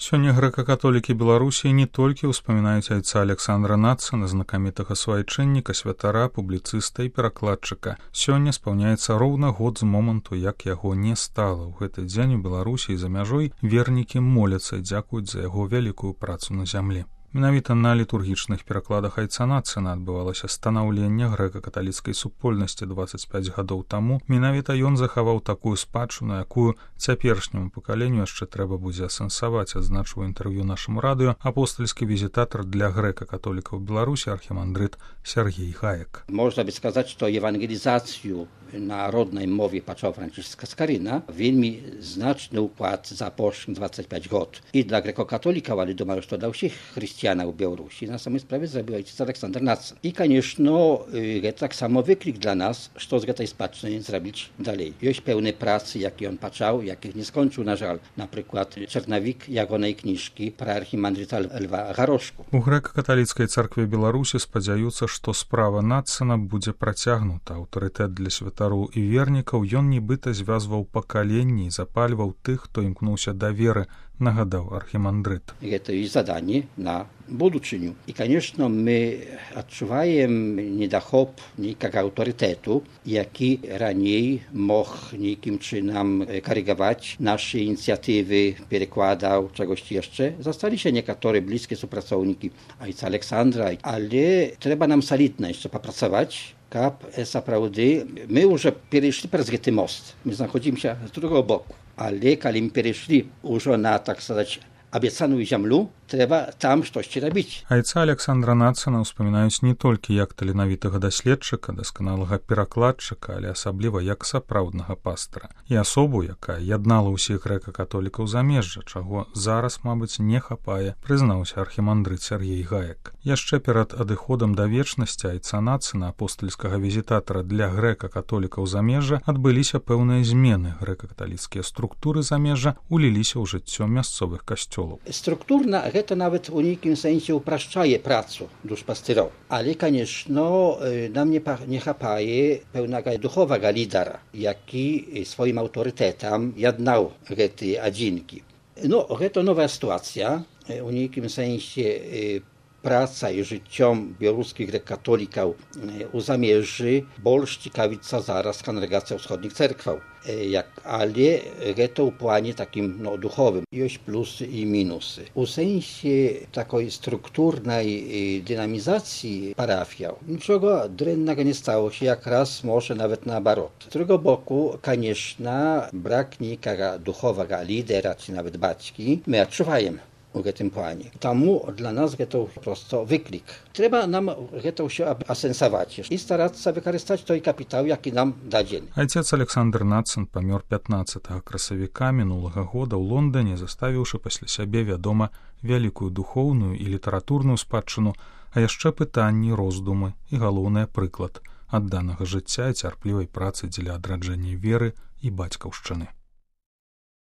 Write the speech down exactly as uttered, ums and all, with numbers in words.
Сёння грэка-католікі Беларусі не толькі ўспамінаюць айца Александра Нацана, знакамітага суайчынніка, святара, публіцыста і перакладчыка. Сёння спаўняецца роўна год з моманту, як яго не стала. У гэты дзень у Беларусі і за мяжой вернікі моляцца і дзякуюць за яго вялікую працу на зямлі. Менавіта на літургічных перакладах айца Нацана адбывалася станаўленне грэка-каталіцкай супольнасці дваццаць пяць гадоў таму. Менавіта ён захаваў такую спадчыну, якую цяперашняму пакаленню яшчэ трэба будзе асэнсаваць, адзначыў інтэрв'ю нашаму радыё апостальскі візітатар для грэка-католікаў Беларусі архімандрыт Сергей Гаек. Можна by сказаць, што ewangelizację na rodnej mowie począł Franciszka Skaryna, wельмі znaczny układ za poszłych двадцать пять год. I dla grekokatolików, ale думаю, что dla всех христианов в Беларуси на самой справе zrobił ojciec Aleksander Nacen. I, конечно, to tak samo wyklik dla nas, что z tej spадщiny zrobić dalej. Jest pełne pracy, jakie on począł, jakich nie skończył, na żal. Na przykład Czernawik Jagonej kniżki pra archimandryta Lwa Garoszku. У грэка-каталіцкай царкве Беларусі спадзяюцца, што справа Нацана будзе працягнута. Аўтарытэт для святароў і вернікаў ён нібыта звязваў пакаленні і запальваў тых, хто імкнуўся да веры, нагадаў архімандрыт. Это и задание на будущее. И, конечно, мы odczuwaем недохоп никак авторитету, jaki ранее мог никим чином корректовать наши инициативы, перекладał czegoś jeszcze. Zostali się niektóre bliskie współpracownicy ojca Aleksandra, ale trzeba nam solidnie jeszcze popracować. Kap, naprawdę, my już przeszli przez ten most. My znajdujemy się z drugiego boku. Ale kiedy przeszli już na, tak сказать, obiecaną ziemię, trzeba tam coś robić. Айца Александра Нацана ўспамінаюць не толькі як таленавітага даследчыка, дасканалага перакладчыка, але асабліва як сапраўднага пастара. І асобу, якая яднала ўсіх грэка-католікаў замежжа, чаго зараз, мабыць, не хапае, прызнаўся архімандрыт Сергей Гаек. Яшчэ перад адыходам да вечнасці айца Нацана, апостальскага візітатара для грэка-католікаў замежжа, адбыліся пэўныя змены. Грэка-каталіцкія структуры замежжа уліліся ў жыццё мясцовых касцёлаў. Структурна to nawet w unikim sensie upraszczaje pracę duszpasterów. Ale, конечно, nam nie, nie chapaje pełnego duchowego lidera, jaki swoim autorytetem jadnał te adzinki. No, to nowa sytuacja. W unikim sensie praca i życiom białoruskich grekokatolików u zamierzy больше ciekawica zaraz kongregacja wschodnich cerkwał. Jak, ale to w planie takim no, duchowym. Jest plusy i minusy. W sensie takiej strukturnej dynamizacji parafiał niczego drętnego nie stało się, jak raz może nawet na barot. Z drugiego boku, конечно, brak nikogo duchowego lidera, czy nawet baćki, my odczuwajemy w tym planie. Tamu dla nas to po prostu wyklik. Trzeba nam to się asensować i starać się wykorzystać ten kapitał, jaki nam da dzień. Айцец Александр Нацан памёр пятнаццатага красавіка мінулага года ў Лондоне, заставіўшы пасля сябе, вядома, вялікую духоўную і літаратурную спадчыну, а яшчэ пытанні, роздумы і, галоўнае, прыклад адданага жыцця і цярплівай працы дзеля адраджэння веры і бацькаўшчыны.